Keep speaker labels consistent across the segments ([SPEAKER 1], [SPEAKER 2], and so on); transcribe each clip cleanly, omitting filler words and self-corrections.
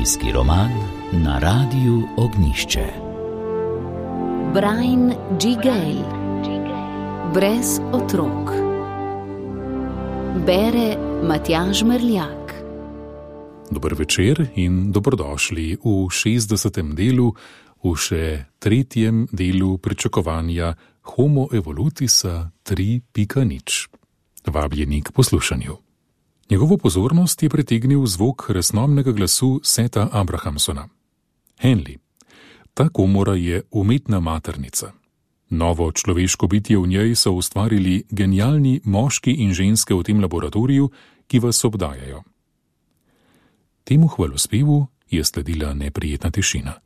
[SPEAKER 1] Družinski roman na Radiu Ognjišče. Brian G. Gale. Brez otrok. Bere Matjaž Merljak.
[SPEAKER 2] Dober večer in dobrodošli v 60. delu, v še 3. delu pričakovanja Homo evolutisa 3.0. Vabljeni k poslušanju. Njegovo pozornost je pritegnil zvok resnomnega glasu Seta Abrahamsona. Henley. Ta komora je umetna maternica. Novo človeško bitje v njej so ustvarili genialni moški in ženske v tem laboratoriju, ki vas obdajajo. Temu hvalospevu je sledila neprijetna tišina.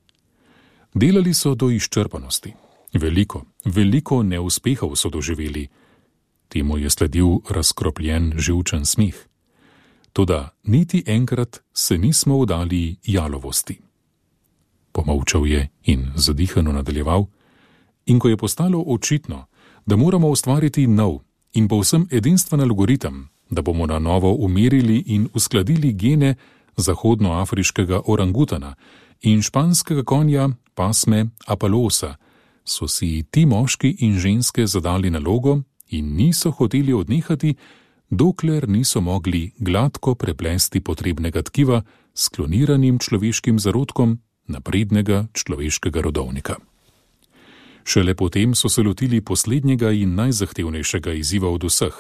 [SPEAKER 2] Delali so do izčrpanosti. Veliko neuspehov so doživeli. Temu je sledil razkropljen živčen smeh. Toda niti enkrat se nismo vdali jalovosti. Pomolčal je in zadihano nadaljeval. In ko je postalo očitno, da moramo ustvariti nov in povsem edinstven algoritem, da bomo na novo umerili in uskladili gene zahodnoafriškega orangutana in španskega konja pasme Apalosa, so si ti moški in ženske zadali nalogo in niso hoteli odnehati, dokler niso mogli gladko preplesti potrebnega tkiva s kloniranim človeškim zarodkom naprednega človeškega rodovnika. Šele potem so se lotili poslednjega in najzahtevnejšega izziva od vseh,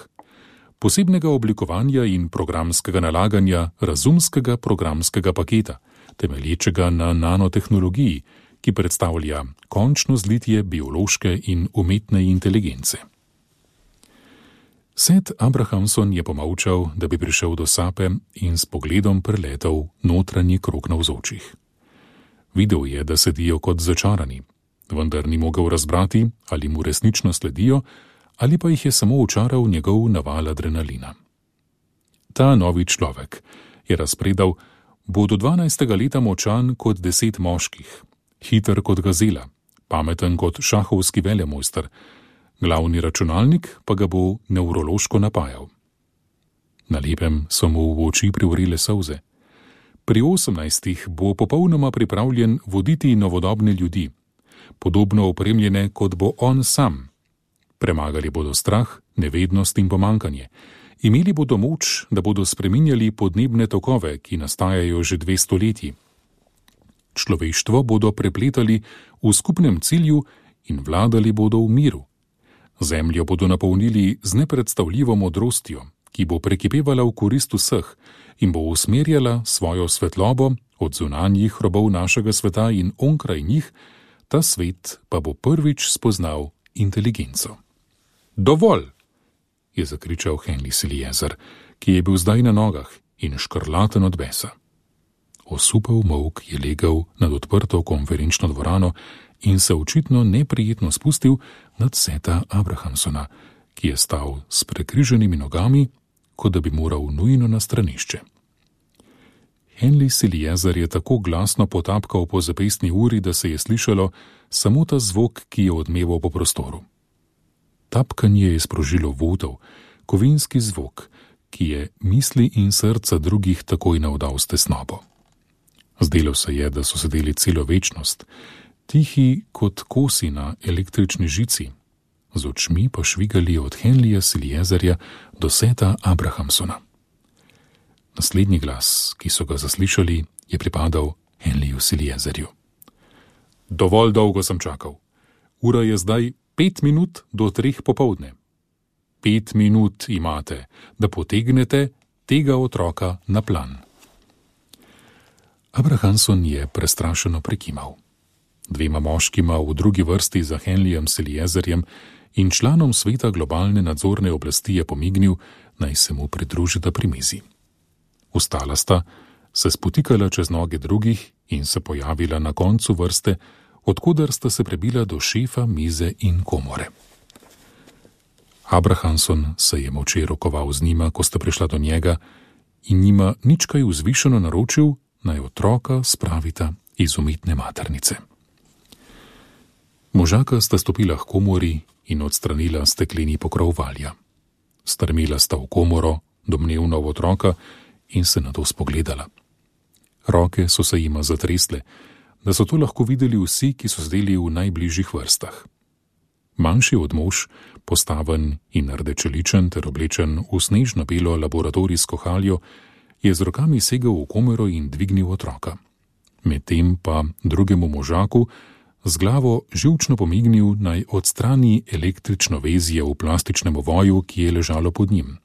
[SPEAKER 2] posebnega oblikovanja in programskega nalaganja razumskega programskega paketa, temelječega na nanotehnologiji, ki predstavlja končno zlitje biološke in umetne inteligence. Set Abrahamson je pomolčal, da bi prišel do sape in s pogledom preletel notranji krog navzočih. Videl je, da sedijo kot začarani, vendar ni mogel razbrati, ali mu resnično sledijo, ali pa jih je samo očaral njegov naval adrenalina. Ta novi človek, je razpredal, bo do 12. leta močan kot 10 moških, hiter kot gazela, pameten kot šahovski velemojster, glavni računalnik pa ga bo nevrološko napajal. Na lepem so mu v oči privrile solze. Pri 18 bo popolnoma pripravljen voditi novodobne ljudi, podobno opremljene, kot bo on sam. Premagali bodo strah, nevednost in pomankanje. Imeli bodo moč, da bodo spreminjali podnebne tokove, ki nastajajo že 2 stoletji. Človeštvo bodo prepletali v skupnem cilju in vladali bodo v miru. Zemljo bodo napolnili z nepredstavljivo modrostjo, ki bo prekipevala v korist vseh in bo usmerjala svojo svetlobo od zunanjih robov našega sveta in onkraj njih, ta svet pa bo prvič spoznal inteligenco. Dovolj, je zakričal Henry Siliezer, ki je bil zdaj na nogah in škrlaten od besa. Osupel molk je legel nad odprto konferenčno dvorano in se očitno neprijetno spustil nad Seta Abrahamsona, ki je stal s prekriženimi nogami, kot da bi moral nujno na stranišče. Henry Siliezer je tako glasno potapkal po zapestni uri, da se je slišalo samo ta zvok, ki je odmeval po prostoru. Tapkanje je sprožilo votel, kovinski zvok, ki je misli in srca drugih takoj navdal s tesnobo. Zdelo se je, da so sedeli celo večnost, tihi kot kosi na električni žici, z očmi pa švigali od Henryja Siliezerja do Seta Abrahamsona. Naslednji glas, ki so ga zaslišali, je pripadal Henryju Siliezerju. Dovolj dolgo sem čakal. Ura je zdaj 5 minut do 3 popoldne. 5 minut imate, da potegnete tega otroka na plan. Abrahamson je prestrašeno prikimal. 2 moškima v drugi vrsti za Henryjem Siliezerjem in članom sveta globalne nadzorne oblasti je pomignil, naj se mu pridružita pri mizi. Vstala sta, se spotikala čez noge drugih in se pojavila na koncu vrste, odkudar sta se prebila do šefa mize in komore. Abrahamson se je molče rokoval z njima, ko sta prišla do njega, in njima nič kaj vzvišeno naročil, naj otroka spravita iz umetne maternice. Možaka sta stopila k komori in odstranila stekleni pokrov valja. Strmela sta v komoro, domnevno v otroka, in se nato spogledala. Roke so se jima zatresle, da so to lahko videli vsi, ki so sedeli v najbližjih vrstah. Manjši od mož, postaven in rdečeličen ter oblečen v snežno belo laboratorijsko haljo, je z rokami segel v komero in dvignil otroka. Medtem pa drugemu možaku z glavo živčno pomignil, naj odstrani električno vezje v plastičnem ovoju, ki je ležalo pod njim.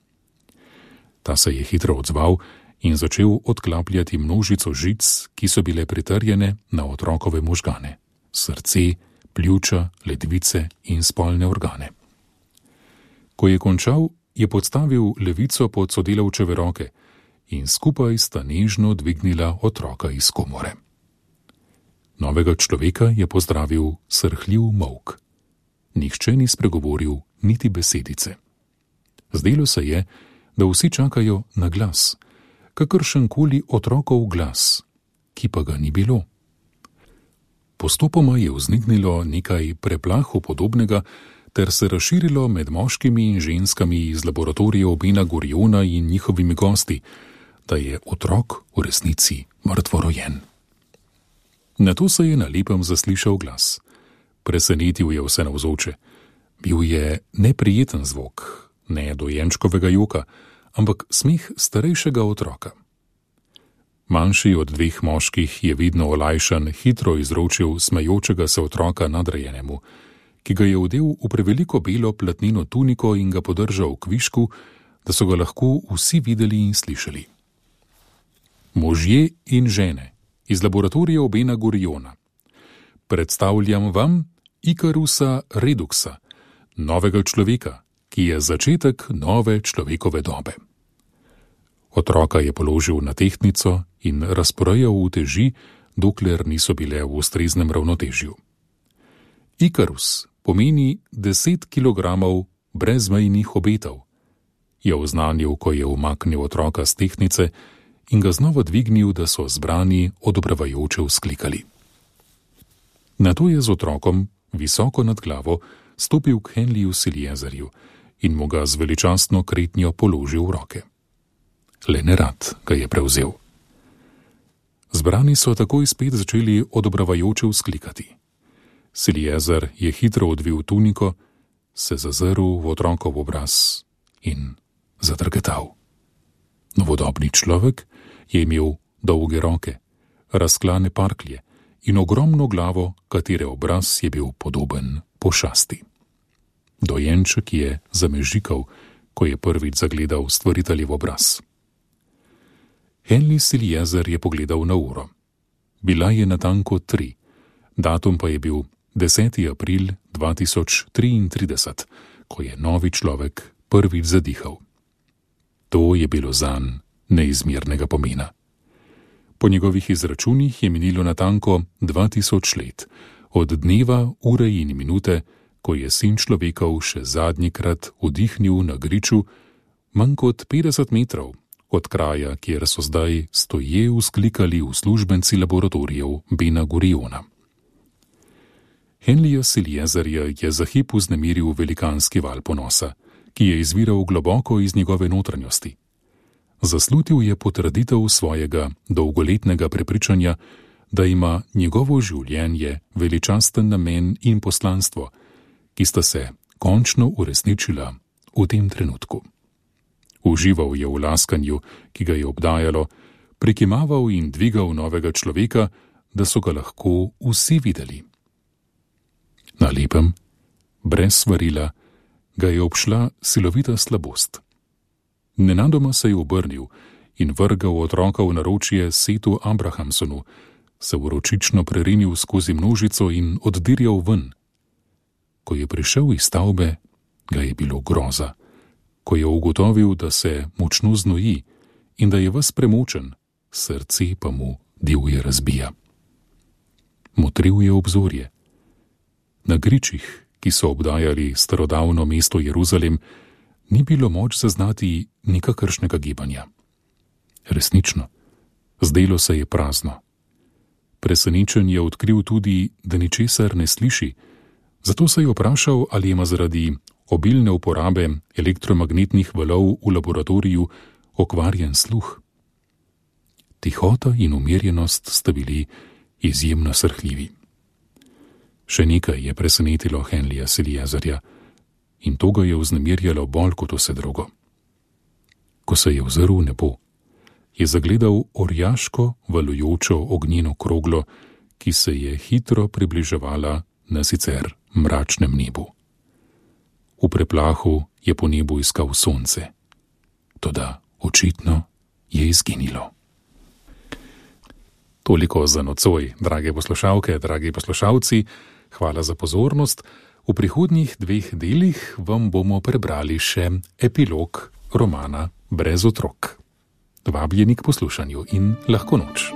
[SPEAKER 2] Ta se je hitro odzval in začel odklapljati množico žic, ki so bile pritrjene na otrokove možgane, srce, pljuča, ledvice in spolne organe. Ko je končal, je podstavil levico pod sodelavčeve roke in skupaj sta nežno dvignila otroka iz komore. Novega človeka je pozdravil srhljiv molk. Nihče ni spregovoril niti besedice. Zdelo se je, da vsi čakajo na glas, kakršenkoli otrokov glas, ki pa ga ni bilo. Postopoma je vzniknilo nekaj preplahu podobnega ter se razširilo med moškimi in ženskami iz laboratorijev Bena Guriona in njihovimi gosti, da je otrok v resnici mrtvorojen. Nato se je na lepem zaslišal glas. Presenetil je vse navzoče. Bil je neprijeten zvok, ne dojenčkovega joka, ampak smeh starejšega otroka. Manjši od dveh moških je vidno olajšan hitro izročil smejočega se otroka nadrejenemu, ki ga je odel v preveliko belo platneno tuniko in ga podržal k višku, da so ga lahko vsi videli in slišali. Možje in žene iz laboratorijev Bena Guriona, predstavljam vam Ikarusa Reduxa, novega človeka, ki je začetek nove človekove dobe. Otroka je položil na tehtnico in razporejal uteži, dokler niso bile v ustreznem ravnotežju. Ikarus pomeni 10 kilogramov brezmejnih obetov, je oznanil, ko je umaknil otroka z tehtnice in ga znova dvignil, da so zbrani odobravajoče vzklikali. Nato je z otrokom, visoko nad glavo, stopil k Henliju Siliezerju in mu ga z veličastno kretnjo položil v roke. Le nerad ga je prevzel. Zbrani so takoj spet začeli odobravajoče vzklikati. Siliezer je hitro odvil tuniko, se zazrl v otrokov obraz in zadrgetal. Novodobni človek je imel dolge roke, razklane parklje in ogromno glavo, katere obraz je bil podoben pošasti. Dojenček je zamežikal, ko je prvič zagledal stvoriteljev obraz. Henry Siliezer je pogledal na uro. Bila je natanko 3, datum pa je bil 10. april 2033, ko je novi človek prvič zadihal. To je bilo zanj neizmernega pomena. Po njegovih izračunih je minilo natanko 2000 let, od dneva, ure in minute, ko je sin človekov še zadnjikrat vdihnil na griču, manj kot 50 metrov od kraja, kjer so zdaj stoje vzklikali uslužbenci laboratorijev Bena Guriona. Henryja Siliezerja je za hip vznemiril velikanski val ponosa, ki je izviral globoko iz njegove notranjosti. Zaslutil je potrditev svojega dolgoletnega prepričanja, da ima njegovo življenje veličasten namen in poslanstvo, ki sta se končno uresničila v tem trenutku. Užival je v laskanju, ki ga je obdajalo, prikimaval in dvigal novega človeka, da so ga lahko vsi videli. Na lepem, brez svarila, ga je obšla silovita slabost. Nenadoma se je obrnil in vrgal otroka v naročje Setu Abrahamsonu, se vročično prerinil skozi množico in oddirjal ven. Ko je prišel iz stavbe, ga je bilo groza, ko je ugotovil, da se močno znoji in da je ves premočen, srce pa mu divje razbija. Motril je obzorje. Na gričih, ki so obdajali starodavno mesto Jeruzalem, ni bilo moč zaznati nikakršnega gibanja. Resnično, zdelo se je prazno. Presenečen je odkril tudi, da ničesar ne sliši, zato se je vprašal, ali ima zaradi obilne uporabe elektromagnetnih valov v laboratoriju okvarjen sluh. Tihota in umirjenost sta bili izjemno srhljivi. Še nekaj je presenetilo Henlija Seliezerja in to ga je vznemirjalo bolj kot vse drugo. Ko se je ozrl v nebo, je zagledal orjaško valujočo ognjeno kroglo, ki se je hitro približevala na sicer mračnem nebu. V preplahu je po nebu iskal sonce, toda očitno je izginilo. Toliko za nocoj, drage poslušalke, dragi poslušalci, hvala za pozornost. V prihodnjih 2 delih vam bomo prebrali še epilog romana Brez otrok. Vabljeni k poslušanju in lahko noč.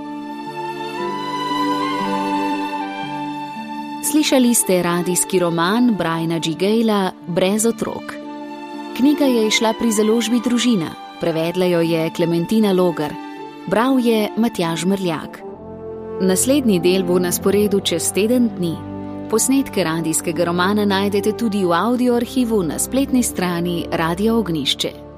[SPEAKER 1] Slišali ste radijski roman Briana G. Gala Brez otrok. Knjiga je izšla pri založbi Družina, prevedla jo je Klementina Logar, bral je Matjaž Mrljak. Naslednji del bo na sporedu čez teden dni. Posnetke radijskega romana najdete tudi v audio arhivu na spletni strani Radia Ognjišče.